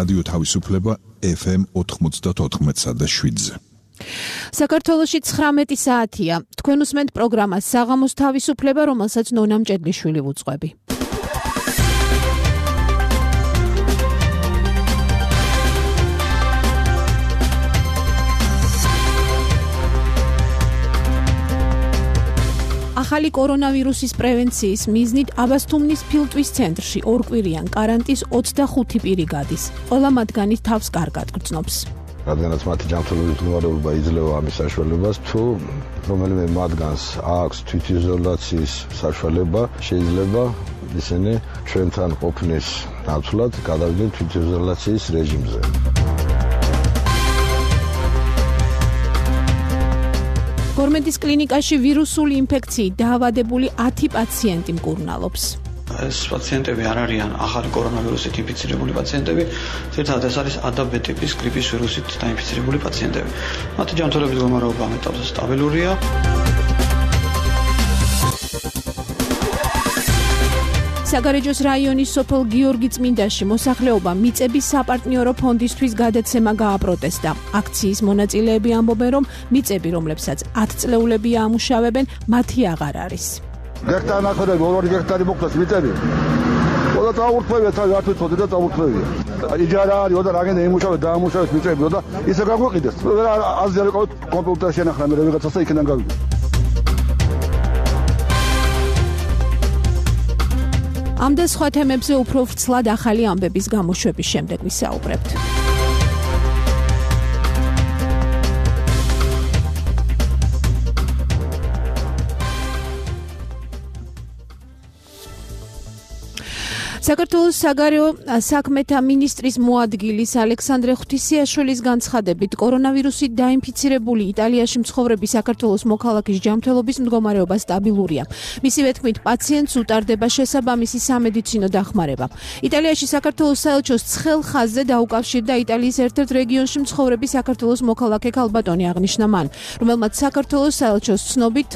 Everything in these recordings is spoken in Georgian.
რადიო თავისუფლება FM 94.7-ზე. საქართველოში 19 საათია. თქვენ უსმენთ პროგრამას საღამოს თავისუფლება, რომელსაც ნონა მჭედლიშვილი ვუძღვები. ახალი კორონავირუსის პრევენციის მიზნით აბასთუმნის ფილტვის ცენტრში ორკვირიან კარანტინის 25 პირი გადის. ყველა მათგანი თავს კარგად გრძნობს. რადგანაც მათი ჯანმრთელობის მდგომარეობა იძლევა ამის საშუალებას, თუ რომელიმე მათგანს აქვს თვითიზოლაციის საშუალება, შეიძლება ისინი ჩვენთან ყოფნის ნაცვლად გადავიდნენ თვითიზოლაციის რეჟიმზე. გორმედის კლინიკაში ვირუსული ინფექციით დაავადებული 10 პაციენტი მკურნალობს. ეს პაციენტები არ არიან ახალი კორონავირუსით ინფიცირებული პაციენტები, ძირითადად ეს არის A-B ტიპის გრიპის ვირუსით დაინფიცირებული პაციენტები. მათი ჯანმრთელობის მდგომარეობა ამ ეტაპზე სტაბილურია. საგარეჯოს რაიონის სოფელ გიორგი წმინდაში მოსახლეობა მიწების საპარტნიორო ფონდისთვის გადაცემა გააპროტესტა. აქციის მონაწილეები ამბობენ, რომ მიწები, რომლებსაც 10 წლეულები ამუშავებენ, მათი აღარ არის. გექტარი ნახევრები, 2 გექტარი მოკლეს მიწები. ყველა წაურთმევია, თავი არ თვითონ და წაურთმევია. იჯარა არის, და რაგენ იმუშავებს, დაამუშავებს მიწები, და ისე გაგვიყიდეს. აზრი არ იყო კომპიუტერში ნახლა, მე რაღაცასა იქიდან გავიგე. ამ და სხვა თემებზე უფრო ვრცლად ახალი ამბების გამოშვების შემდეგ ვისაუბრებთ. საქართველოს საგარეო საქმეთა მინისტრის მოადგილის ალექსანდრე ღვთისიაშვილის განცხადებით, კორონავირუსით დაინფიცირებული იტალიაში მცხოვრები საქართველოს მოქალაქის ჯანმრთელობის მდგომარეობა სტაბილურია. მისივე თქმით, პაციენტს უტარდება შესაბამისი სამედიცინო დახმარება. იტალიაში საქართველოს საელჩოს ცხელ ხაზზე დაუკავშირდა იტალიის ერთ-ერთ რეგიონში მცხოვრები საქართველოს მოქალაქე ქალბატონი აღნიშნა მან, რომელმაც საქართველოს საელჩოს ცნობით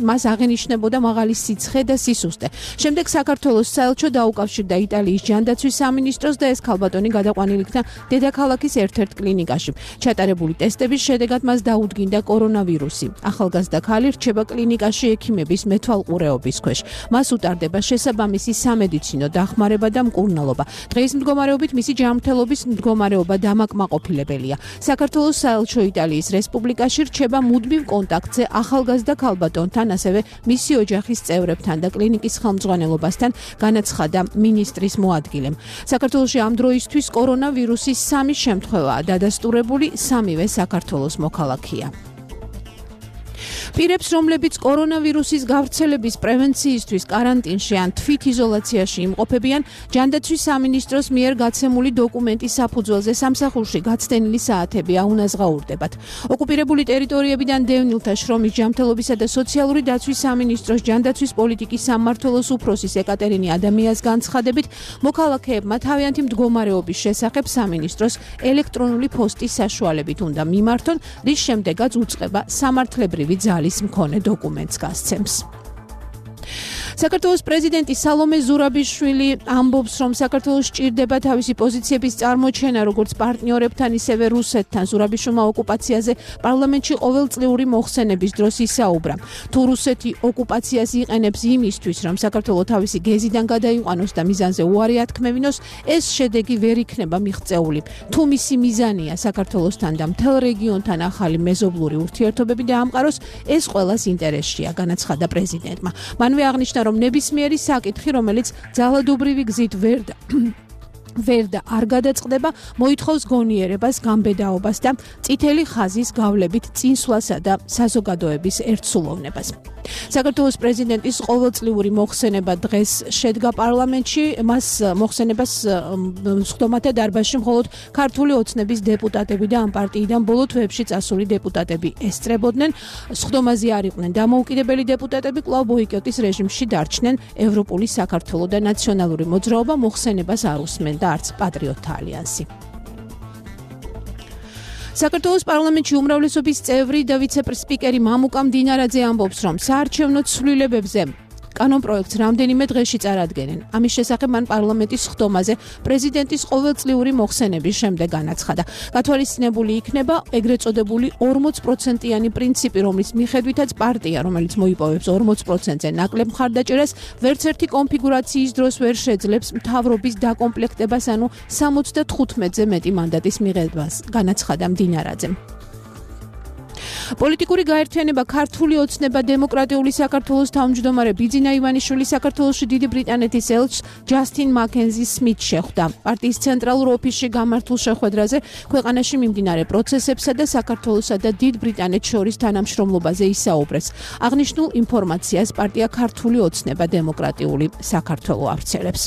მას აღენიშნებოდა მაღალი სიცხე და სისუსტე. შემდეგ საქართველოს საელჩო უკავშირდა იტალიის ჯანდაცვის სამინისტროს და ეს ქალბატონი გადაყვანილი იქნა დედაქალაქის ერთ-ერთ კლინიკაში. ჩატარებული ტესტების შედეგად მას დაუდგინდა კორონავირუსი. ახალგაზრდა ქალი რჩება კლინიკაში ექიმების მეთვალყურეობის ქვეშ. მას უტარდება შესაბამისი სამედიცინო დახმარება და მკურნალობა. დღის მდგომარეობით მისი ჯანმრთელობის მდგომარეობა დამაკმაყოფილებელია. საქართველოს საელჩო იტალიის რესპუბლიკაში რჩება მუდმივ კონტაქტზე ახალგაზრდა ქალბატონთან, ასევე მისი ოჯახის წევრებთან და კლინიკის ხელმძღვანელობასთან, განაცხადა მინისტრის მოადგილემ. საქართველოში ამ დროისთვის კორონავირუსის 3 შემთხვევაა დადასტურებული, 3-ვე საქართველოს მოქალაქეა. პირებს, რომლებიც კორონავირუსის გავრცელების პრევენციისთვის კარანტინში ან თვითიზოლაციაში იმყოფებიან, ჯანდაცვის სამინისტროს მიერ გაცემული დოკუმენტის საფუძველზე სამსახურში გაცდენილი საათები აუნაზღაურდებათ. ოკუპირებული ტერიტორიებიდან დევნილთა შრომის ჯანმრთელობისა და სოციალური დაცვის სამინისტროს ჯანდაცვის პოლიტიკის სამმართველოს უფროსის ეკატერინე ადამიანის განცხადებით, მოქალაქეებმა თავიანთი მდგომარეობის შესახებ სამინისტროს ელექტრონული პოსტის საშუალებით უნდა მიმართონ, რის შემდეგაც უწყება სამართლებრივი ძალის მქონე დოკუმენტს გასცემს. საქართველოს პრეზიდენტი სალომე ზურაბიშვილი ამბობს, რომ საქართველოს სჭირდება თავისი პოზიციების წარმოჩენა როგორც პარტნიორებთან, ისევე რუსეთთან. ზურაბიშვილმა ოკუპაციაზე პარლამენტში ყოველწლიური მოხსენების დროს ისაუბრა. თუ რუსეთი ოკუპაციას იყენებს იმისთვის, რომ საქართველო თავისი გეზიდან გადაიყვანოს და მიზანზე უარი ათქმევინოს, ეს შედეგი ვერ იქნება მიღწეული. თუ მისი მიზანია საქართველოსთან და მთელ რეგიონთან ახალი მეზობლური ურთიერთობები დაამყაროს, ეს ყველას ინტერესშია, განაცხადა პრეზიდენტმა. მანვე აღნიშნა, რომ ნებისმიერი საკითხი, რომელიც ძალადობრივი გზით ვერ და არ გადაწყდება, მოითხოვს გონიერებას, გამბედაობას და წითელი ხაზის გავლებით წინსვლასა და საზოგადოების ერთსულოვნებას. საქართველოს პრეზიდენტის ყოველწლიური მოხსენება დღეს შედგა პარლამენტში, მას მოხსენებას სხდომათა დარბაზში მხოლოდ ქართული ოცნების დეპუტატები და ამ პარტიიდან ბოლო თვეებში წასული დეპუტატები ესწრებოდნენ. სხდომაზე არ იყვნენ დამოუკიდებელი დეპუტატები, კვლავ ბოიკოტის რეჟიმში დარჩნენ ევროპული საქართველო და ნაციონალური მოძრაობა, მოხსენებას არ უსმენდა არც პატრიოტთა ალიანსი. საქართველოს პარლამენტში უმრავლესობის წევრი და ვიცე-სპიკერი მამუკა მდინარაძე ამბობს, რომ საარჩევნო ცვლილებებზე კანონპროექტს რამდენიმე დღეში წარადგენენ. ამის შესახებ მან პარლამენტის ხდომაზე პრეზიდენტის ყოველწლიური მოხსენების შემდეგ განაცხადა. გათვალისწინებული იქნება ეგრეთ წოდებული 40%-იანი პრინციპი, რომლის მიხედვითაც პარტია, რომელიც მოიპოვებს 40%-ზე ნაკლებ მხარდაჭერას, ვერც ერთი კონფიგურაციის დროს ვერ შეძლებს მთავრობის დაკომპლექტებას, ანუ 75-ზე მეტი მანდატის მიღებას, განაცხადა მდინარაძემ. პოლიტიკური გაერთიანება ქართული ოცნება დემოკრატიული საქართველოს თავმჯდომარე ბიძინა ივანიშვილი საქართველოში დიდი ბრიტანეთის ელჩს ჯასტინ მაკენზი სმითს შეხვდა. პარტიის ცენტრალურ ოფისში გამართულ შეხვედრაზე ქვეყანაში მიმდინარე პროცესებსა და საქართველოსა და დიდ ბრიტანეთს შორის თანამშრომლობაზე ისაუბრეს. აღნიშნულ ინფორმაციას პარტია ქართული ოცნება დემოკრატიული საქართველო ავრცელებს.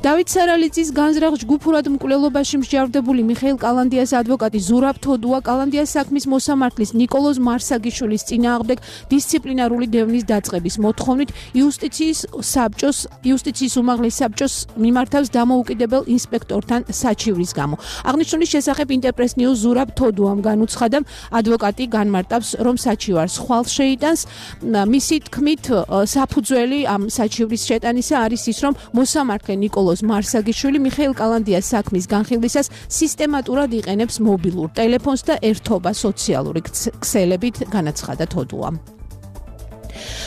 დავით სარალიძის განზრახ ჯგუფურად მკვლელობაში მსჯავრდებული მიხეილ კალანდიას ადვოკატი ზურაბ თოდუა კალანდიას საქმის მოსამართლის ნიკოლოზ მარსაგიშვილის წინააღმდეგ დისციპლინარული დევნის დაწყების მოთხოვნით იუსტიციის უმაღლეს საბჭოს მიმართავს დამოუკიდებელ ინსპექტორთან საჩივრის გამო. აღნიშნული შესახებ ინტერპრეს ნიუს ზურაბ თოდუამ განუცხადა, ადვოკატი განმარტავს, რომ საჩივარს ხვალ შეიტანს. მისი თქმით, საფუძველი ამ საჩივრის შეტანისა არის ის, რომ მოსამართლე ნიკოლოზ მარსაგიშვილი მიხეილ კალანდიას საქმის განხილვისას სისტემატურად იყენებს მობილურ ტელეფონს და ერთობა სოციალური ქსელებით, განაცხადა თოდუამ.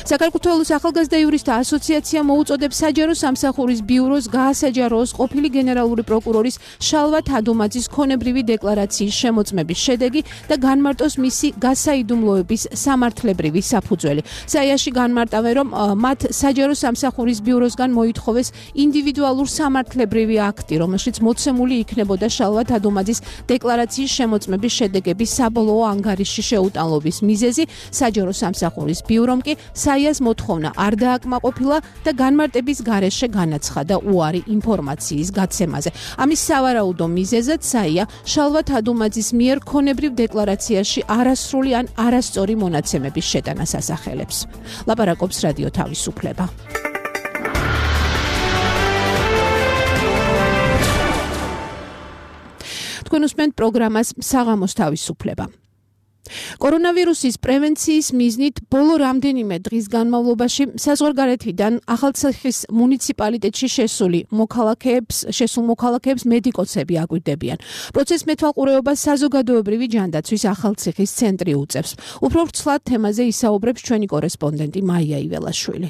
საქართველოს ახალგაზრდა იურისტთა ასოციაცია მოუწოდებს საჯარო სამსახურის ბიუროს გაასაჯაროოს ყოფილი გენერალური პროკურორის შალვა თადუმაძის ქონებრივი დეკლარაციის შემოწმების შედეგი და განმარტოს მისი გასაიდუმლოების სამართლებრივი საფუძველი. საიაში განმარტავენ, რომ მათ საჯარო სამსახურის ბიუროსგან მოითხოვეს ინდივიდუალურ სამართლებრივი აქტი, რომელშიც მოცემული იქნებოდა შალვა თადუმაძის დეკლარაციის შემოწმების შედეგების საბოლოო ანგარიშში შეუტანლობის მიზეზი. საჯარო სამსახურის ბიურომ კი საიას მოთხოვნა არ დააკმაყოფილა და განმარტების გარეშე განაცხადა უარი ინფორმაციის გაცემაზე. ამის სავარაუდო მიზეზად საია შალვა თადუმაძის მიერ ქონებრივ დეკლარაციაში არასრული ან არასწორი მონაცემების შეტანას ასახელებს. ლაპარაკობს რადიო თავისუფლება. თქვენ უსმენთ პროგრამას საღამოს თავისუფლება. კორონავირუსის პრევენციის მიზნით ბოლო რამდენიმე დღის განმავლობაში საზღვარგარეთიდან ახალციხის მუნიციპალიტეტში შესულ მოქალაქეებს მედიკოსები აკვირდებიან. პროცესს მეთვალყურეობას საზოგადოებრივი ჯანდაცვის ახალციხის ცენტრი უწევს. უფრო ვრცლად თემაზე ისაუბრებს ჩვენი კორესპონდენტი მაია იველაშვილი.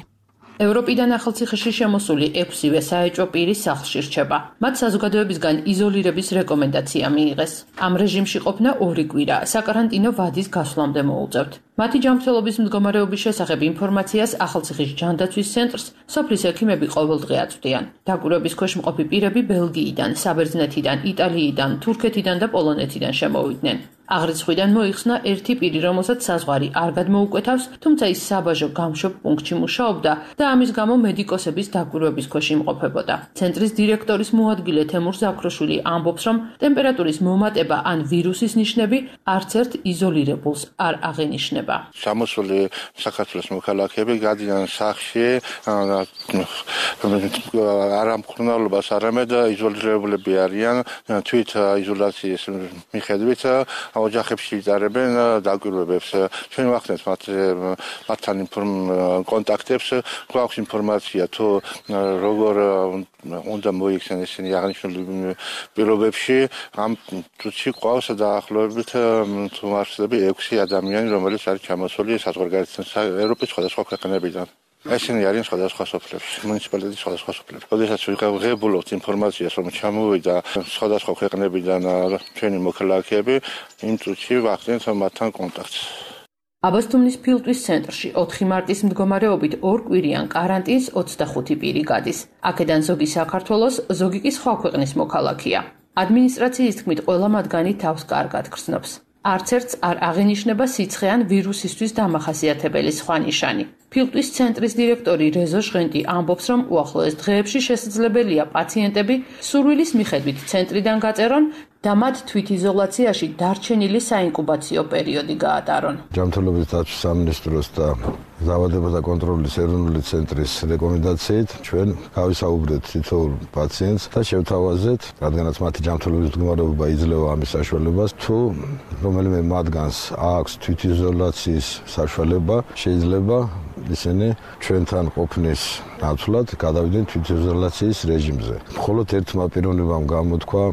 ევროპიდან ახალციხეში შემოსული 6-ვე საეჭვო პირი სახლში რჩება. მათ საზოგადოებისგან იზოლირების რეკომენდაცია მიიღეს. ამ რეჟიმში ყოფნა 2 კვირა საკარანტინო ვადის გასვლამდე მოუწევთ. მათი ჯანმრთელობის მდგომარეობის შესახებ ინფორმაციას ახალციხის ჯანდაცვის ცენტრს სოფლის ექიმები ყოველდღე აწვდიან. დაკვირვების ქვეშ მყოფი პირები ბელგიიდან, საბერძნეთიდან, იტალიიდან, თურქეთიდან და პოლონეთიდან შემოვიდნენ. აღრიცხვიდან მოიხსნა ერთი პირი, რომელსაც საზღვარი არ გადმოუკვეთავს, თუმცა ის საბაჟო გამშვებ პუნქტში მუშაობდა და ამის გამო მედიკოსების დაკვირვების ქვეშ იმყოფებოდა. ცენტრის დირექტორის მოადგილე თემურ ზაქროშვილი ამბობს, რომ ტემპერატურის მომატება ან ვირუსის ნიშნები არც ერთ იზოლირებულს არ აღენიშნება. Სამოსული საქართველოს მოქალაქეები გადიან სახლში არა მკურნალობას, არამედ იზოლირებულები არიან თვით იზოლაციის მიხედვით ოჯახებში იტარებენ დაკვირვებებს. ჩვენ ვახდენთ მათთან კონტაქტებს, გვაქვს ინფორმაცია თუ როგორ უნდა მოიქცნენ ისინი აღნიშნული პირობებში. ამ წუთში ყავს დაახლოებით თუ მარცხლები 6 ადამიანი, რომელიც არის ჩამოსული საზღვარგარეთიდან ევროპის სხვადასხვა ქვეყნებიდან. ესენი არიან სხვადასხვა სოფლებში, მუნიციპალიტეტის სხვადასხვა სოფლებში. როდესაც ვიღებულობთ ინფორმაციას, რომ ჩამოვიდა სხვადასხვა ქვეყნებიდან ჩვენი მოქალაქეები, იმ წუთში ვახდენთ მათთან კონტაქტს. აბასთუმნის ფილტვის ცენტრში 4 მარტის მდგომარეობით 2 კვირიან კარანტინს 25 პირი გადის. აქედან ზოგი საქართველოს, ზოგი კი სხვა ქვეყნის მოქალაქეა. ადმინისტრაციის თქმით, ყველა მათგანი თავს კარგად გრძნობს. არც ერთს არ აღენიშნება სიცხე ან ვირუსისთვის დამახასიათებელი სხვა ნიშანი. ფილტვის ცენტრის დირექტორი რეზო ჟღენტი ამბობს, რომ უახლოეს დღეებში შესაძლებელია პაციენტები სურვილის მიხედვით ცენტრიდან გაწერონ და მათ თვითიზოლაციაში დარჩენილი საინკუბაციო პერიოდი გაატარონ. ჯანმრთელობის დაცვის სამინისტროს და დაავადებათა კონტროლის ეროვნული ცენტრის რეკომენდაციით ჩვენ გავისაუბრეთ თითოეულ პაციენტს და შევთავაზეთ, რადგანაც მათი ჯანმრთელობის მდგომარეობა იძლევა ამის საშუალებას, თუ რომელიმე მათგანს აქვს თვითიზოლაციის საშუალება, შეიძლება ისინი ჩვენთან ყოფნის ნაცვლად გადავიდნენ თვითიზოლაციის რეჟიმზე. მხოლოდ ერთმა პიროვნებამ გამოთქვა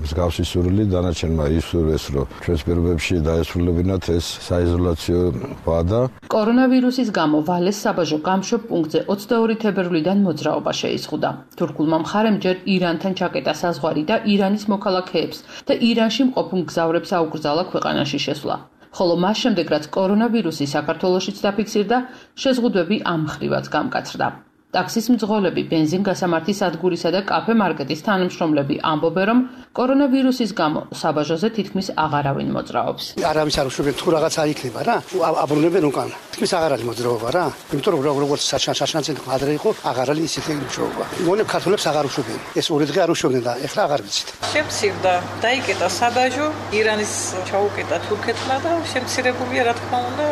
მსგავსი სურვილი, დანარჩენმა ისურვეს, რომ ჩვენს პირობებში დაესრულებინათ ეს საიზოლაციო ვადა. კორონავირუსის გამო ვალეს საბაჟო გამშვებ პუნქტზე 22 თებერვლიდან მოძრაობა შეიზღუდა. თურქულმა მხარემ ჯერ ირანთან ჩაკეტა საზღვარი და ირანის მოქალაქეებს და ირანში მყოფ მგზავრებს აუკრძალა ქვეყანაში შესვლა. ხოლო მას შემდეგ, რაც კორონავირუსი საქართველოშიც დაფიქსირდა, შეზღუდვები ამ მხრივაც გამკაცრდა. ტაქსის მძღოლები, ბენზინგასამართი სადგურისა და კაფე მარკეტის თანამშრომლები ამბობენ, რომ კორონავირუსის გამო საბაჟოზე თითქმის აღარავინ მოძრაობს. არავის არ უშვებენ თუ რაღაცა იქნება რა, აბრუნებენ უკან. თითქმის აღარ არის მოძრაობა რა. იმიტომ რომ როგორც საშანცენ ადრე იყო, აღარ არის ისეთი მუშაობა. მონებ ქართველებს აღარ უშვებენ. ეს ორი დღე არ უშვებდნენ და ეხლა აღარ ვიცით. შემცირდა, დაიკეტა საბაჟო, ირანის ჩაუკეტა თურქეთმა და შემცირებულია რა თქმა უნდა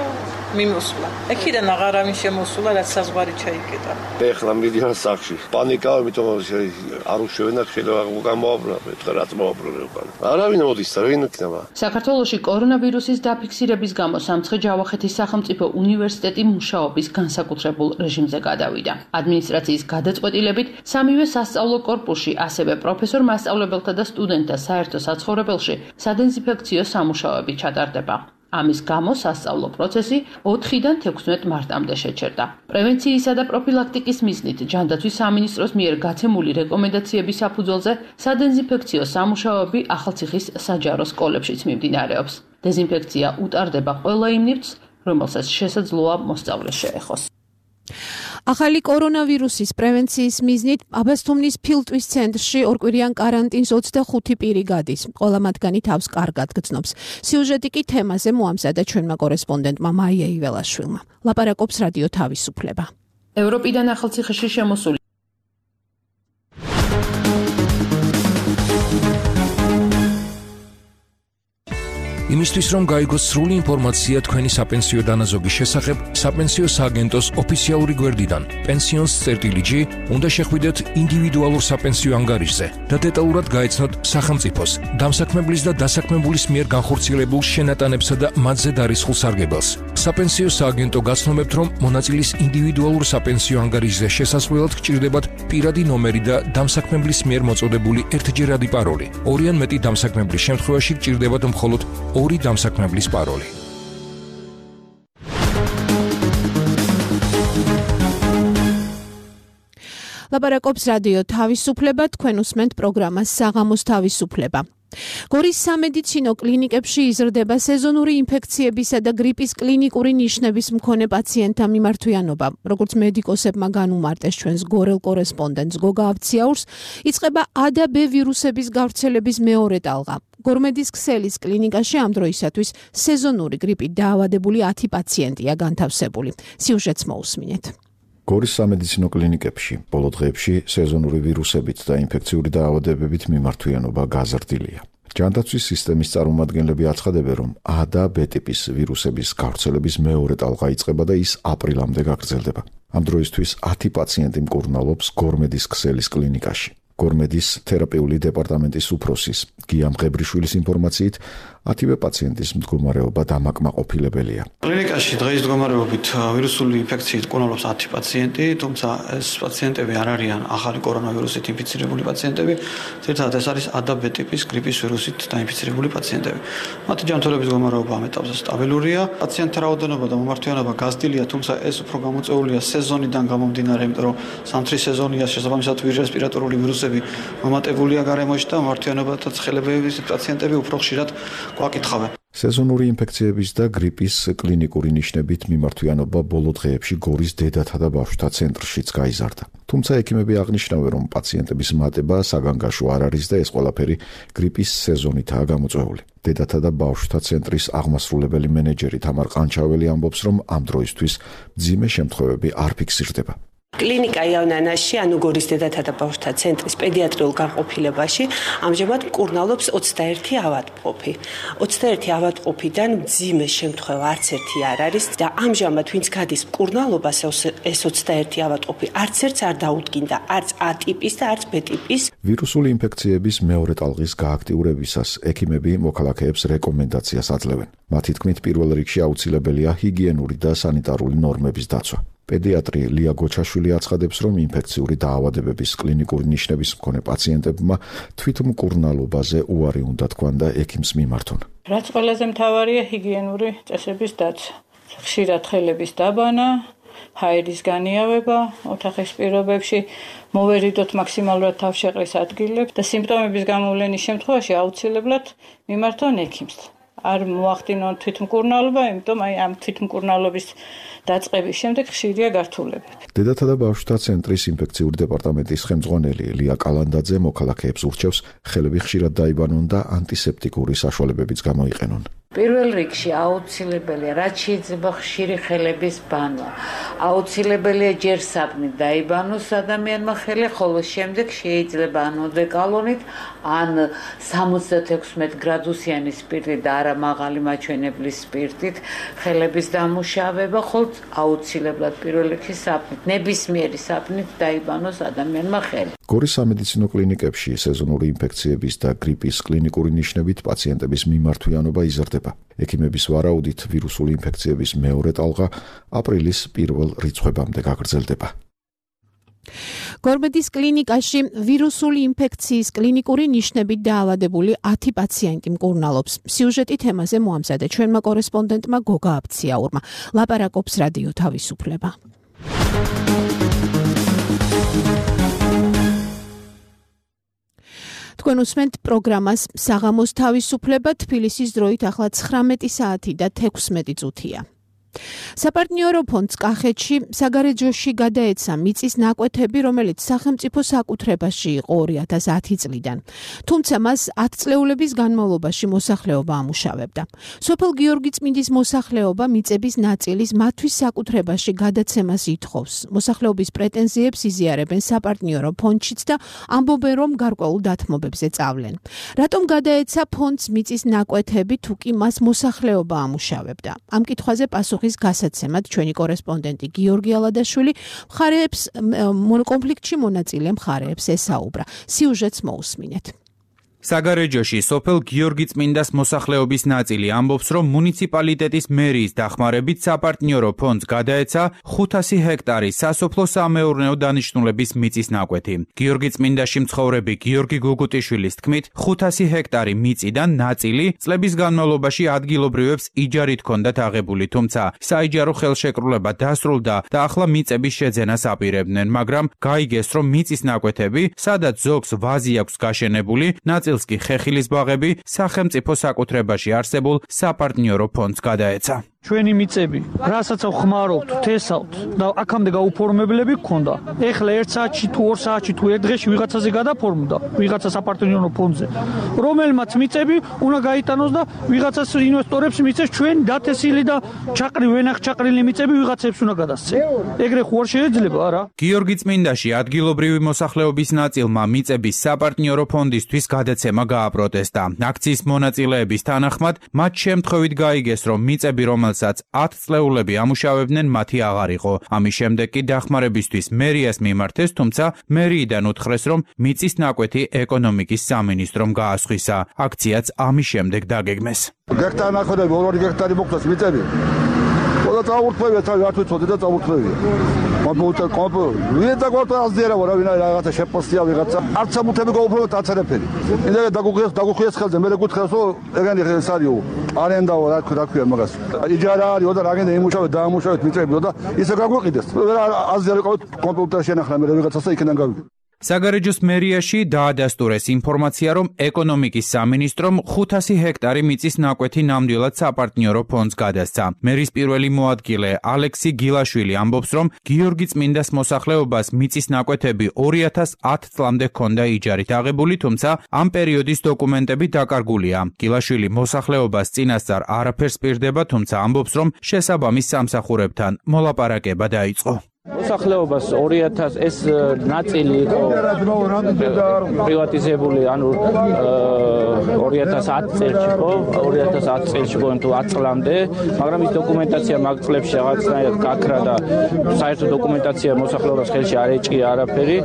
მიმოსვლა. ეკიდან აღარავინ შემოსულა, რაც საზღვარი ჩაიკეტა. ეხლა მიდიან სახში. პანიკა, იმიტომ არ უშვებენ და შეიძლება უკან მოაბრუნებენ, რაც მოაბრუნებენ უკან. არავინ მოდის და ვინ იქნება. საქართველოში კორონავირუსის დაფიქსირების გამო სამცხე-ჯავახეთის სახელმწიფო უნივერსიტეტი მუშაობის განსაკუთრებულ რეჟიმზე გადავიდა. ადმინისტრაციის გადაწყვეტილებით სამივე სასწავლო კორპუსში, ასევე პროფესორ-მასწავლებელთა და სტუდენტთა საერთო საცხოვრებელში სადეზინფექციო სამუშაოები ჩატარდება. ამის გამო სასწავლო პროცესი 4-დან 16 მარტამდე შეჩერდა. პრევენციისა და პროფილაქტიკის მიზნით ჯანდაცვის სამინისტროს მიერ გაცემული რეკომენდაციების საფუძველზე სადეზინფექციო სამუშაოები ახალციხის საჯარო სკოლებშიც მიმდინარეობს. დეზინფექცია უტარდება ყველა იმ ნივთს, რომელსაც შესაძლოა მოსწავლე შეეხოს. ახალი კორონავირუსის პრევენციის მიზნით აბასთუმნის ფილტვის ცენტრში ორკვირიან კარანტინს 25 პირი გადის. ყველა მათგანი თავს კარგად გრძნობს. სიუჟეტი კი თემაზე მოამზადა ჩვენმა კორესპონდენტმა მაია იველაშვილმა. ლაპარაკობს რადიო თავისუფლება. ევროპიდან ახალციხეში შემოსული იმისთვის რომ გაიგოს სრული ინფორმაცია თქვენი საპენსიო დანაზოგის შესახებ, საპენსიო სააგენტოს ოფიციალური გვერდიდან pensions.gr უნდა შეხვიდეთ ინდივიდუალურ საპენსიო ანგარიშზე და დეტალურად გაეცნოთ სახელმწიფოს, დამსაქმებლის და დასაქმებულის მიერ განხორციელებულ შენატანებსა და მათზე დარისხულ სარგებელს. საპენსიო სააგენტო გაცნობებთ, რომ მონაწილის ინდივიდუალურ საპენსიო ანგარიშზე შესასვლელად გჭირდებათ პირადი ნომერი და დამსაქმებლის მიერ მოწოდებული ერთჯერადი პაროლი. ორი ან მეტი დამსაქმებლის შემთხვევაში გჭირდებათ მხოლოდ ორი დამსაქმებლის პაროლი. ლაპარაკობს რადიო თავისუფლება, თქვენ უსმენთ პროგრამას საღამოს თავისუფლება. გორის სამედიცინო კლინიკებში იზრდება სეზონური ინფექციებისა და გრიპის კლინიკური ნიშნების მქონე პაციენტთა მიმართვიანობა. როგორც მედიკოსებმა განუმარტეს ჩვენს გორელ კორესპონდენტს გოგა აბციაურს, იწყება A და B ვირუსების გავრცელების მეორე ტალღა. გორმედის ქსელის კლინიკაში ამ დროისათვის სეზონური გრიპით დაავადებული 10 პაციენტია განთავსებული. სიუჟეტს მოусმინეთ. გორის სამედიცინო კლინიკებში ბოლო დღეებში სეზონური ვირუსებით და ინფექციური დაავადებებით მიმართვიანობა გაზრდილია. ჯანდაცვის სისტემის წარმომადგენლები აცხადებენ, რომ A და B ტიპის ვირუსების გავრცელების მეორე ტალღა იწყება და ის აპრილამდე გაგრძელდება. ამ დროისთვის 10 პაციენტი მკურნალობს გორმედის ქსელის კლინიკაში. გორმედის თერაპიული დეპარტამენტის უფროსის გია მღებრიშვილის ინფორმაციით 10 პაციენტის მდგომარეობა დამაკმაყოფილებელია. კლინიკაში დღეის მდგომარეობით ვირუსული ინფექციით მკურნალობს 10 პაციენტი, თუმცა ეს პაციენტები არ არიან ახალი კორონავირუსით ინფიცირებული პაციენტები, ზოგადად ეს არის A და B ტიპის გრიპის ვირუსით დაინფიცირებული პაციენტები. მათი ჯანმრთელობის მდგომარეობა ამ ეტაპზე სტაბილურია. პაციენტთა რაოდენობა და მომართვიანობა გაზრდილია, თუმცა ეს უფრო გამოწვეულია სეზონიდან გამომდინარე, იმიტომ რომ ზამთრის სეზონია, შესაბამისად ვირუსპირატორული ვირუსები მომატებულია გარემოში და მომართვიანობა და ცხელებების პაციენტები უფრო ხშირად გვაკითხავენ. სეზონური ინფექციების და გრიპის კლინიკური ნიშნებით მიმართვიანობა ბოლო დღეებში გორის დედათა და ბავშვთა ცენტრშიც გაიზარდა. თუმცა ექიმები აღნიშნავენ, რომ პაციენტების მატება საგანგაშო არ არის და ეს ყველაფერი გრიპის სეზონითაა გამოწვეული. დედათა და ბავშვთა ცენტრის აღმასრულებელი მენეჯერი თამარ ყანჩაველი ამბობს, რომ ამ დროისთვის მძიმე შემთხვევები არ ფიქსირდება. კლინიკა იავნანაში, ანუ გორის დედათა და ბავშვთა ცენტრის პედიატრიულ განყოფილებაში ამჟამად მკურნალობს 21 ავადმყოფი. 21 ავადმყოფიდან მძიმე შემთხვევა არც ერთი არ არის და ამჟამად ვინც გადის მკურნალობას, ეს 21 ავადმყოფი არც ერთს არ დაუდგინდა, არც A ტიპის და არც B ტიპის. ვირუსული ინფექციების მეორე ტალღის გააქტიურებისას ექიმები მოქალაქეებს რეკომენდაციას აძლევენ. მათი თქმით, პირველ რიგში აუცილებელია ჰიგიენური და სანიტარული ნორმების დაცვა. პედიატრი ლია გოჩაშვილი აცხადებს, რომ ინფექციური დაავადებების კლინიკური ნიშნების მქონე პაციენტებმა თვითმკურნალობაზე უარი უნდა თქვან და ექიმს მიმართონ. რაც ყველაზე მთავარია ჰიგიენური წესების დაცვა. ხშირად ხელების დაბანა, ჰაერის განიავება, ოთახის პირობებში მოვერიდოთ მაქსიმალურად თავშეყრის ადგილებს და სიმპტომების გამოვლენის შემთხვევაში აუცილებლად მიმართონ ექიმს. არ მოახდინონ თვითმკურნალობა, იმიტომ ამ თვითმკურნალობის დაწყების შემდეგ ხშირია გართულებები. დედათა და ბავშვთა ცენტრის ინფექციური დეპარტამენტის ხელმძღვანელი ლია კალანდაძე მოქალაქეებს ურჩევს ხელები ხშირად დაიბანონ და ანტისეპტიკური საშუალებებიც გამოიყენონ. პირველ რიგში აუცილებელია, რაც შეიძლება ხშირი ხელების ბანვა. აუცილებელია ჯერ საპნით დაიბანოს ადამიანმა ხელი, ხოლო შემდეგ შეიძლება ან ოდეკალონით, ან 76 გრადუსიანი სპირტით და არა მაღალი მაჩვენებლის სპირტით ხელების დამუშავება, ხოლო აუცილებლად პირველ რიგში საპნით, ნებისმიერი საპნით დაიბანოს ადამიანმა ხელი. გორის სამედიცინო კლინიკებში სეზონური ინფექციების და გრიპის კლინიკური ნიშნებით პაციენტების მიმართვიანობა იზრდება. ექიმების ვარაუდით ვირუსული ინფექციების მეორე ტალღა აპრილის პირველ რიცხვებამდე გაგრძელდება. გორმედის კლინიკაში ვირუსული ინფექციის კლინიკური ნიშნებით დაავადებული 10 პაციენტი მკურნალობს. სიუჟეტი თემაზე მოამზადა ჩვენმა კორესპონდენტმა გოგა აბციაურმა. ლაპარაკობს რადიო თავისუფლება. თქვენ უსმენთ პროგრამას საღამოს თავისუფლება, თბილისის დროით ახლა 19 საათი და 16 წუთია. საპარტნიორო ფონდს კახეთში საგარეჯოში გადაეცა მიწის ნაკვეთები, რომელიც სახელმწიფო საკუთრებაში იყო 2010 წლიდან. თუმცა მას 10 წლეულების განმავლობაში მოსახლეობა ამუშავებდა. სოფელ გიორგიწმინდის მოსახლეობა მიწების ნაწილის მათთვის საკუთრებაში გადაცემას ითხოვს. მოსახლეობის პრეტენზიებს იზიარებენ საპარტნიორო ფონდშიც და ამბობენ, რომ გარკვეულ დათმობებზე წავლენ. რატომ გადაეცა ფონდს მიწის ნაკვეთები, თუ კი მას მოსახლეობა ამუშავებდა? ამ კითხვაზე პასუხი გასაცემად ჩვენი კორესპონდენტი გიორგი ალადაშვილი მხარეებს კონფლიქტში მონაწილე მხარეებს ესაუბრა. სიუჟეტს მოусმინეთ. საგარეჯოში სოფელ გიორგიწმინდას მოსახლეობის ნაწილი ამბობს, რომ მუნიციპალიტეტის მერიის დახმარებით საპარტნიორო ფონდს გადაეცა 500 ჰექტარი სასოფლო-სამეურნეო დანიშნულების მიწის ნაკვეთი. გიორგიწმინდაში მცხოვრები გიორგი გუგუტიშვილის თქმით, 500 ჰექტარი მიწიდან ნაწილი წლების განმავლობაში ადგილობრივებს იჯარით ჰქონდათ აღებული, თუმცა საიჯარო ხელშეკრულება დასრულდა და ახლა მიწების შეძენას აპირებდნენ, მაგრამ გაიგეს, რომ მიწის ნაკვეთები, სადაც ზოგს ვაზი აქვს გაშენებული, ნაწილსკი ხეხილის ბაღები სახელმწიფო საკუთრებაში არსებულ საპარტნიორო ფონდს გადაეცა. ჩვენი მიწები, რასაც ხმარობთ, თესავთ და აქამდე გაუფორმებლები გქონდა. ეხლა 1 საათში თუ 2 საათში თუ 1 დღეში ვიღაცაზე გადაფორმდა, ვიღაცა საპარტნიორო ფონდზე, რომელმაც მიწები უნდა გაიტანოს და ვიღაცას ინვესტორებს მიწეს ჩვენ დათესილი და ვენახჩაყრილი მიწები ვიღაცებს უნდა გადასცენ. ეგრე ხო არ შეიძლება, არა? გიორგიწმინდაში ადგილობრივი მოსახლეობის ნაწილმა მიწების საპარტნიორო ფონდისთვის გადაცემა გააპროტესტა. აქციის მონაწილეების თანახმად, მათ შემთხვევით გაიგეს, რომ მიწები, რომელსაც 10 წლეულები ამუშავებდნენ, მათი აღარ იყო. ამის შემდეგ კი დახმარებისთვის მერიას მიმართეს, თუმცა მერიიდან უთხრეს, რომ მიწის ნაკვეთი ეკონომიკის სამინისტრომ გაასხვისა. აქციაც ამის შემდეგ დაგეგმეს. გექტარი ნახვედები 2 გექტარი მოხდეს მიწები. ყველა წაურთმევია, რა თვითონ და წაურთმევია. ვინდა გვარტაზდერა ვარა ვინა რაღაცა შეპოსტია ვიღაცა არც სამუთები გაუფროთ აცერეფერი. ინდა დაგუხიეს ხელზე მე გეკითხეს რომ ეგენი ეს არისო არენდაო რა ქვია მაგას. იჯარა არისო და რაგენდა იმუშავეთ დაამუშავეთ მიწებიო და ისე გაგვიყიდეს. აზერი ყავით კომპიუტერში შენახლა მე ვიღაცასა იქიდან გავიგე. საგარეჯოს მერიაში დაადასტურეს ინფორმაცია, რომ ეკონომიკის სამინისტრომ 500 ჰექტარი მიწის ნაკვეთი ნამდვილად საპარტნიორო ფონდს გადასცა. მერის პირველი მოადგილე ალექსი გილაშვილი ამბობს, რომ გიორგიწმინდას მოსახლეობას მიწის ნაკვეთები 2010 წლამდე ჰქონდა იჯარით აღებული, თუმცა ამ პერიოდის დოკუმენტები დაკარგულია. გილაშვილი მოსახლეობას წინასწარ არაფერს პირდება, თუმცა ამბობს, რომ შესაბამის სამსახურებთან მოლაპარაკება დაიწყო. მოსახლეობას 2000 ეს ნაწილი იყო პრივატიზებული, ანუ 2010 წელს იყო, 2010 წელს იყო თუ 10 წლამდე, მაგრამ ის დოკუმენტაცია მაგ წლებში რაღაცნაირად გაქრა და საერთო დოკუმენტაცია მოსახლეობას ხელში არ ეჭია არაფერი.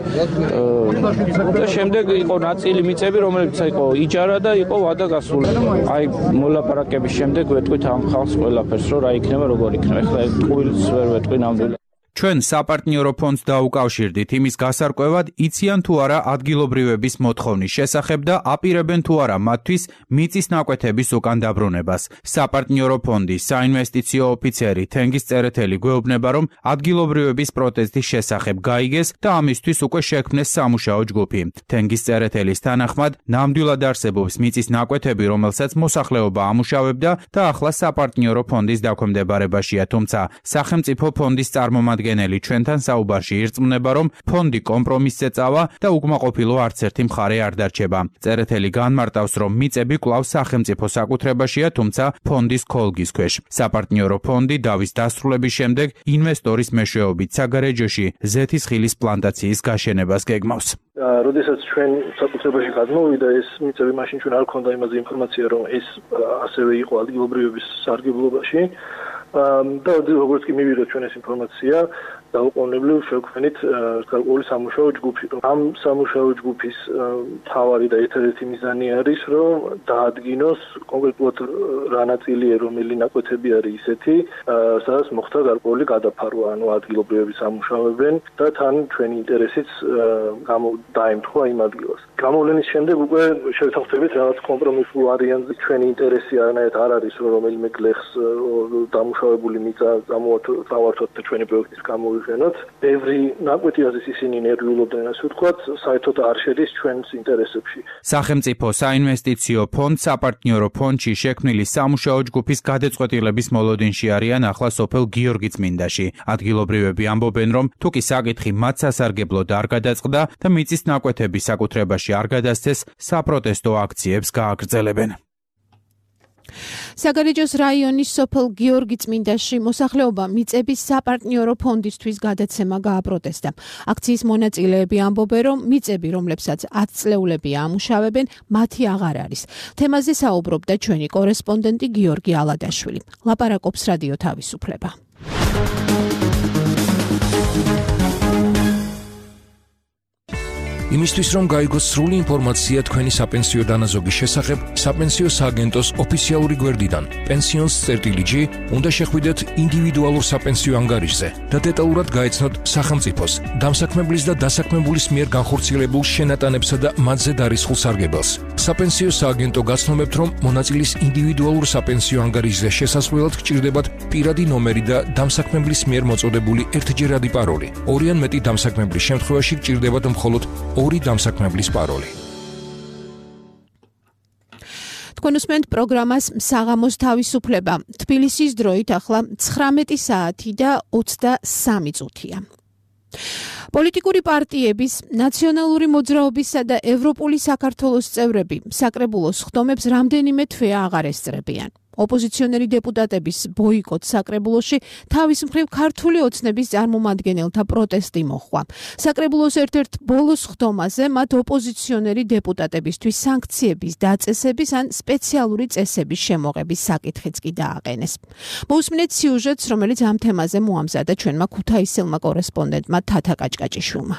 და შემდეგ იყო ნაწილი მიწები, რომელიც იყო იჯარა და იყო ვადა გასული. აი მოლაპარაკების შემდეგ ვეტყვით ამ ხალხს ყველაფერს, რომ რა იქნება, როგორ იქნება. ეხლა ტყუილს ვერ ვეტყვი ნამდვილად. ჩვენ საპარტნიორო ფონდს დაუკავშირდით იმის გასარკვევად, იციან თუ არა ადგილობრივების მოთხოვნის შესახებ და აპირებენ თუ არა მათთვის მიწის ნაკვეთების უკან დაბრუნებას. საპარტნიორო ფონდის საინვესტიციო ოფიცერი თენგიზ წერეთელი გვეუბნება, რომ ადგილობრივების პროტესტის შესახებ გაიგეს და ამისთვის უკვე შექმნეს სამუშაო ჯგუფი. თენგიზ წერეთელის თანახმად, ნამდვილად არსებობს მიწის ნაკვეთები, რომელსაც მოსახლეობა ამუშავებდა და ახლა საპარტნიორო ფონდის დაქვემდებარებაშია, თუმცა სახელმწიფო ფონდის წარმომადგენელი ჩვენთან საუბარში ირწმუნება, რომ ფონდი კომპრომისზე წავა და უკმაყოფილო არც ერთი მხარე არ დარჩება. წერეთელი განმარტავს, რომ მიწები კვლავ სახელმწიფო საკუთრებაშია, თუმცა ფონდის ქოლგის ქვეშ. საპარტნიორო ფონდი დავის დასრულების შემდეგ ინვესტორის მეშვეობით საგარეჯოში ზეთისხილის პლანტაციის გაშენებას გეგმავს. როდესაც ჩვენ საკუთრებაში გადმოვიდა ეს მიწები, მაშინ ჩვენ არ გვქონდა იმაზე ინფორმაცია, რომ ეს ასევე იყო ადგილობრივების სარგებლობაში. და როგორც კი მივიღეთ ჩვენ ეს ინფორმაცია, დაუყოვნებლივ შევქმნით გარკვეული სამუშაო ჯგუფი. ამ სამუშაო ჯგუფის მთავარი და ერთ-ერთი მიზანი არის, რომ დაადგინოს კონკრეტულად რა ნაწილია, რომელი ნაკვეთები არის ისეთი, სადაც მოხდა გარკვეული გადაფარვა, ანუ ადგილობრივები სამუშაოებენ და თან ჩვენი ინტერესიც დაემთხვა იმ ადგილას. გამოვლენის შემდეგ უკვე შევთავაზეთ რაღაც კომპრომისულ ვარიანტზე. ჩვენი ინტერესი არანაირად არ არის, რომ რომელიმე გლეხს დამუშავებული მიწა წავართოთ და ჩვენი პროექტის გამოვიყენოთ. ბევრი ნაკვეთი არის ისინი ნერვიულობდნენ, ასე ვთქვათ, საერთოდ არ შედის ჩვენს ინტერესებში. სახელმწიფო საინვესტიციო ფონდ საპარტნიორო ფონდში შექმნილი სამუშაო ჯგუფის გადაწყვეტილების მოლოდინში არიან ახლა სოფელ გიორგიწმინდაში. ადგილობრივები ამბობენ, რომ თუკი საკითხი მათ სასარგებლოდ არ გადაწყდა და მიწის ნაკვეთები საკუთრებაში არ გადასცეს, საპროტესტო აქციებს გააგრძელებენ. საგარეჯოს რაიონის სოფელ გიორგიწმინდაში მოსახლეობა მიწების საპარტნიორო ფონდისთვის გადაცემა გააპროტესტა. აქციის მონაწილეები ამბობენ, რომ მიწები, რომლებსაც 10 წლეულებია ამუშავებენ, მათი აღარ არის. თემაზე საუბრობდა ჩვენი კორესპონდენტი გიორგი ალადაშვილი. ლაპარაკობს რადიო თავისუფლება. იმისთვის რომ გაიგოს სრული ინფორმაცია თქვენი საპენსიო დანაზოგის შესახებ, საპენსიო სააგენტოს ოფიციალური გვერდიდან pensions.lg უნდა შეხვიდეთ ინდივიდუალურ საპენსიო ანგარიშზე და დეტალურად გაეცნოთ სახელმწიფოს, დამსაქმებლის და დასაქმებულის მიერ განხორციელებულ შენატანებსა და მათზე დარისხულ სარგებელს. საპენსიო სააგენტო გაცნობებთ, რომ მონაწილის ინდივიდუალურ საპენსიო ანგარიშზე შესასვლელად გჭირდებათ პირადი ნომერი და დამსაქმებლის მიერ მოწოდებული ერთჯერადი პაროლი. ორი ან მეტი დამსაქმებლის შემთხვევაში გჭირდებათ მხოლოდ ორი დამსაქმებლის პაროლი. თქვენ უსმენთ პროგრამას საღამოს თავისუფლება. თბილისის დროით ახლა 19 საათი და 23 წუთია. პოლიტიკური პარტიების, ნაციონალური მოძრაობისა და ევროპული საქართველოს წევრები საკრებულოს ხდომებს რამდენიმე თვეა აღარ ესწრებიან. ოპოზიციონერი დეპუტატების ბოიკოტ საკრებულოში თავის მხრივ ქართული ოცნების წარმომადგენელთა პროტესტი მოხდა. საკრებულოს ერთ-ერთ ბოლოს ხდომაზე მათ ოპოზიციონერი დეპუტატებისთვის სანქციების დაწესების ან სპეციალური წესების შემოღების საკითხიც კი დააყენეს. მოусმინეთ სიუჟეტს, რომელიც ამ თემაზე მოამზადა ჩვენმა ქუთაისელმა კორესპონდენტმა თათა კაჭკაჭიშვილმა.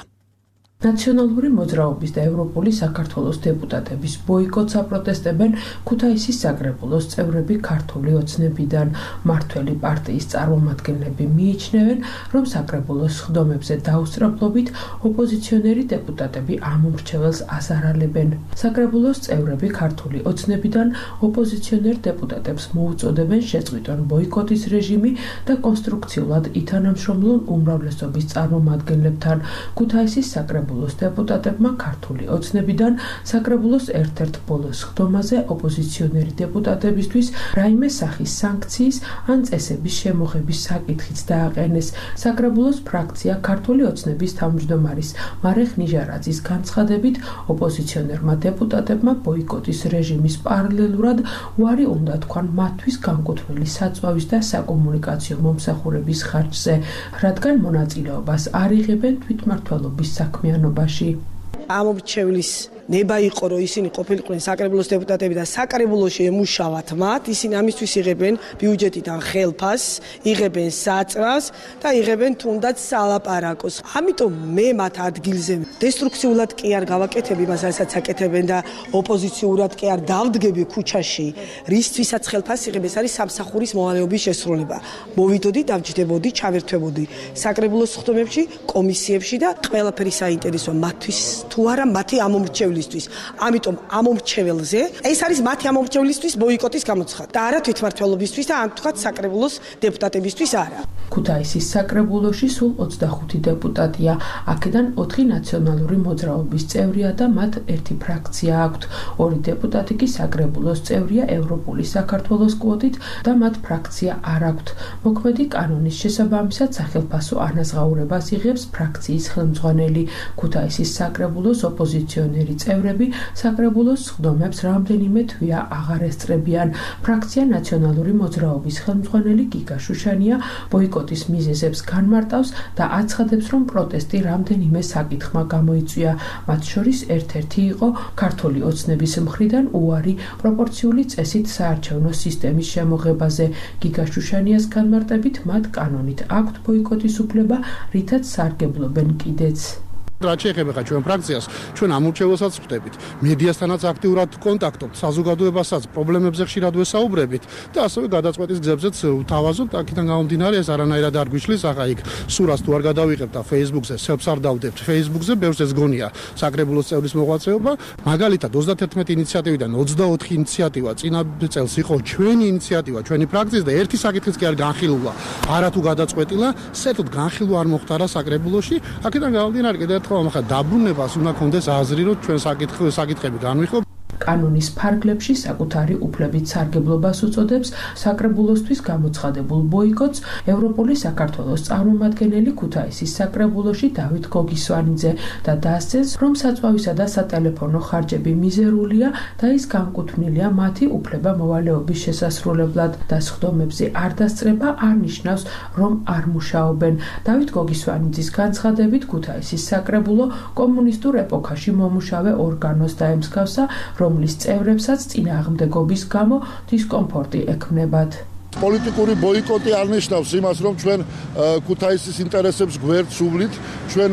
ნაციონალური მოძრაობის და ევროპული საქართველოს დეპუტატების ბოიკოტს აპროტესტებენ ქუთაისის საკრებულოს წევრები ქართული ოცნებიდან. მართველი პარტიის წარმომადგენლები მიიჩნევენ, რომ საკრებულოს ხდომებზე დაუსწრაფლობით ოპოზიციონერი დეპუტატები ამ უმრჩეველს აზარალებენ. საკრებულოს წევრები ქართული ოცნებიდან ოპოზიციონერ დეპუტატებს მოუწოდებენ შეწყვიტონ ბოიკოტის რეჟიმი და კონსტრუქციულად ითანამშრომლონ უმრავლესობის წარმომადგენლებთან. ქუთაისის საკრებულოს დეპუტატებმა ქართული ოცნებიდან საკრებულოს ერთ-ერთ ბოლოს ხდომაზე ოპოზიციონერი დეპუტატებისთვის რაიმე სახის სანქციის ან წესების შემოღების საკითხიც დააყენეს. საკრებულოს ფრაქცია ქართული ოცნების თავმჯდომარის მარეხ ნიჟარაძის განცხადებით, ოპოზიციონერმა დეპუტატებმა ბოიკოტის რეჟიმის პარალელურად უარი უნდა თქვან მათთვის განკუთვნილი საწვავის და საკომუნიკაციო მომსახურების ხარჯზე, რადგან მონაწილეობას არ იღებენ თვითმმართველობის საქმიანობაში. ამ მრჩევლის ნება იყო რომ ისინი ყოფილიყვნენ საკრებულოს დეპუტატები და საკრებულოში ემუშავათ მათ, ისინი ამისთვის იღებენ ბიუჯეტიდან ხელფასს, იღებენ საწვავს და იღებენ თუნდაც სალაპარაკოს. ამიტომ მე მათ ადგილზე დესტრუქციულად კი არ გავაკეთებ იმას, რასაც აკეთებენ და ოპოზიციურად კი არ დავდგები ქუჩაში, რისთვისაც ხელფასს იღებ, ეს არის სამსახურის მოვალეობის შესრულება. მოვიდოდი, დავჯდებოდი, ჩავერთვებოდი საკრებულოს ხდომებში, კომისიებში და ყველაფერი საინტერესო მათთვის თუ არა მათი ამომრჩევლისთვის. ამიტომ ამომრჩეველზე, ეს არის მათი ამომრჩევლისთვის ბოიკოტის გამოცხადება და არა თვითმმართველობისთვის და ან თქვათ საკრებულოს დეპუტატებისთვის არა. ქუთაისის საკრებულოში სულ 25 დეპუტატია, აქედან 4 ნაციონალური მოძრაობის წევრია და მათ ერთი ფრაქცია აქვთ. 2 დეპუტატი კი საკრებულოს წევრია ევროპული საქართველოს კვოტით და მათ ფრაქცია არ აქვთ. მოქმედი კანონის შესაბამისად სახელმწიფო ანაზღაურებას იღებს ფრაქციის ხელმძღვანელი. ქუთაისის საკრებულოს ოპოზიციონერი წევრები საკრებულოს ხდომებს რამდენიმე თვეა აღარ ესწრებიან. ფრაქცია ნაციონალური მოძრაობის ხელმძღვანელი გიგა შუშანია ბოიკოტის მიზეზებს განმარტავს და აცხადებს, რომ პროტესტი რამდენიმე საკითხმა გამოიწვია. მათ შორის ერთ-ერთი იყო ქართული ოცნების მხრიდან უარი პროპორციული წესით საარჩევნო სისტემის შემოღებაზე. გიგა შუშანიას განმარტებით, მათ კანონით აქვთ ბოიკოტის უფლება, რითაც სარგებლობენ კიდეც. რაც შეეხება ჩვენ ფრაქციას, ჩვენ ამურჩეველსაც ვხდებით, მედიასთანაც აქტიურად კონტაქტობთ, საზოგადოებასაც პრობლემებზე ხშირად ვესაუბრებით და ასევე გადაწყვეტის გზებზეც ვთავაზობთ. აქედან გამომდინარე, ეს არანაირად არ გვიშლის, ახლა იქ სურას თუ არ გადავიღებთ და Facebook-ზე სელფს არ დავდებთ, Facebook-ზე ბევრს ეს გონია საკრებულოს წევრის მოღვაწეობა. მაგალითად 31 ინიციატივიდან 24 ინიციატივა წინა წელს იყო ჩვენი ინიციატივა, ჩვენი ფრაქციის და ერთი საკითხიც კი არ განხილულა, არა თუ გადაწყვეტილა, საერთოდ განხილვა არ მოხდარა საკრებულოში. აქედან გამომდინარე, კიდევ ახლა დაბრუნებას უნდა კონდეს აზრი, რომ ჩვენ საკითხები განვიხილოთ. კანონის ფარგლებში საკუთარი უფლებით სარგებლობას უწოდებს საკრებულოსთვის გამოცხადებულ ბოიკოტს ევროპული საქართველოს წარმომადგენელი ქუთაისის საკრებულოში დავით გოგისვანიძე და დასცეს, რომ საწვავისა და სატელეფონო ხარჯები მიზერულია და ის განკუთვნილია მათი უფლება-მოვალეობის შესასრულებლად და სხდომებზე არ დასწრება არ ნიშნავს, რომ არ მუშაობენ. დავით გოგისვანიძის განცხადებით ქუთაისის საკრებულო კომუნისტურ ეპოქაში მომუშავე ორგანოს დაემსგავსა, რომლის წევრებსაც წინააღმდეგობის გამო დისკომფორტი ექმნებათ. პოლიტიკური ბოიკოტი არ ნიშნავს იმას, რომ ჩვენ ქუთაისის ინტერესებს გვერდს უვლით, ჩვენ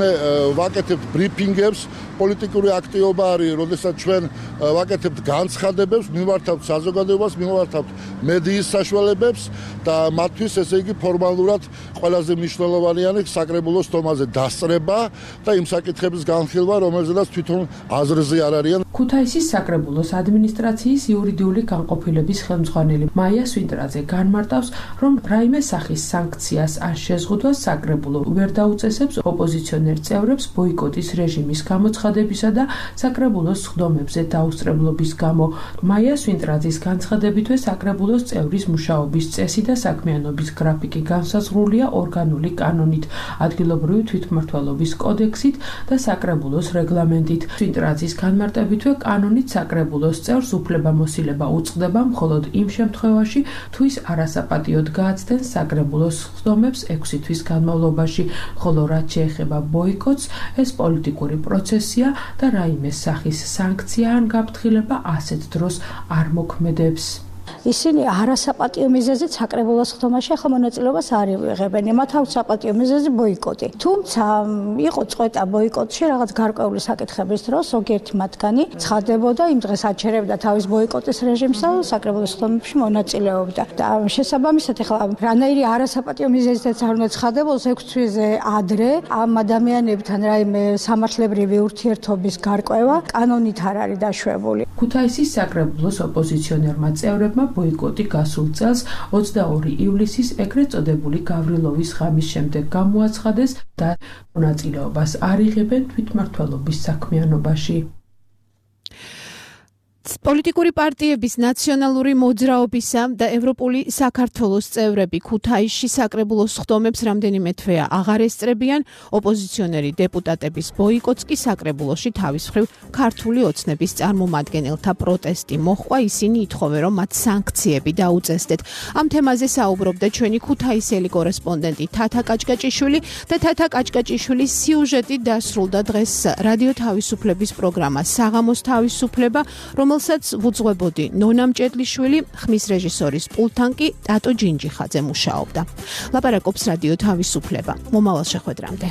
ვაკეთებთ ბრიფინგებს, პოლიტიკური აქტივობა არის, როდესაც ჩვენ ვაკეთებთ განცხადებებს, მიმართავთ საზოგადოებას, მიმართავთ მედიის საშუალებებს და მათთვის ესე იგი ფორმალურად ყველაზე მნიშვნელოვანია საკრებულოს თომაზე დასწრება და იმ საკითხების განხილვა, რომელზედაც თვითონ აზრზე არ არიან. ქუთაისის საკრებულოს ადმინისტრაციის იურიდიული განყოფილების ხელმძღვანელი მაია სვინტრაძე განმარტავს, რომ რაიმე სახის სანქციას არ შეზღუდვას საკრებულო ვერ დაუწესებს ოპოზიციონერ წევრებს ბოიკოტის რეჟიმის გამოცხადებისა და საკრებულოს სხდომებზე დაუსწრებლობის გამო. მაია სვინტრაძის განცხადებითვე საკრებულოს წევრის მუშაობის წესი და საქმიანობის გრაფიკი განსაზღვრულია ორგანული კანონით, ადგილობრივი თვითმმართველობის კოდექსით და საკრებულოს რეგლამენტით. სვინტრაძის განმარტებით კანონით საკრებულოს წევრს უფლებამოსილება უწყდება მხოლოდ იმ შემთხვევაში, თუ ის არასაპატიოდ გააცდენს საკრებულოს სხდომებს 6 თვის განმავლობაში, ხოლო რაც შეეხება ბოიკოტს, ეს პოლიტიკური პროცესია და რაიმე სახის სანქცია ან გაფრთხილება ასეთ დროს არ მოქმედებს. ისინი არასაპატიო მიზეზით საკრებულოს ხდომაში ახლა მონაწილეობას არ იღებენ. მათ აქვს საპატიო მიზეზი ბოიკოტი. თუმცა იყო წყვეტა ბოიკოტში რაღაც გარკვეული საკითხების დროს, ზოგიერთი მათგანი ცხადდებოდა იმ დღეს აჩერებდა თავის ბოიკოტის რეჟიმს და საკრებულოს ხდომებში მონაწილეობდა. და შესაბამისად ახლა რანაირი არასაპატიო მიზეზითაც არ უნდა ცხადდებოს 6 თვეზე ადრე ამ ადამიანებთან რაიმე სამართლებრივი ურთიერთობის გარკვევა კანონით არ არის დაშვებული. ქუთაისის საკრებულოს ოპოზიციონერმა წევრებმა ბოიკოტი გასულ წელს 22 ივლისის ეგრეთ წოდებული გავრილოვის ღამის შემდეგ გამოაცხადეს და მონაწილეობას არ იღებენ თვითმმართველობის საქმიანობაში. პოლიტიკური პარტიების ნაციონალური მოძრაობისა და ევროპული საქართველოს წევრები ქუთაისში საკრებულოს ხდომებს რამდენიმე თვეა აღარ ესწრებიან, ოპოზიციონერი დეპუტატების ბოიკოტს კი საკრებულოში თავის მხრივ ქართული ოცნების წარმომადგენელთა პროტესტი მოჰყვა, ისინი ითხოვენ, რომ მათ სანქციები დაუწესდეთ. ამ თემაზე საუბრობდა ჩვენი ქუთაისელი კორესპონდენტი თათა კაჭკაჭიშვილი და თათა კაჭკაჭიშვილის სიუჟეტი დასრულდა დღეს რადიო თავისუფლების პროგრამა საღამოს თავისუფლება, რომელსაც ვუძღვებოდი ნონა მჭედლიშვილი, ხმის რეჟისორის პულტთან კი ტატო ჯინჯიხაძე მუშაობდა. ლაპარაკობს რადიო თავისუფლება. მომავალ შეხვედრამდე.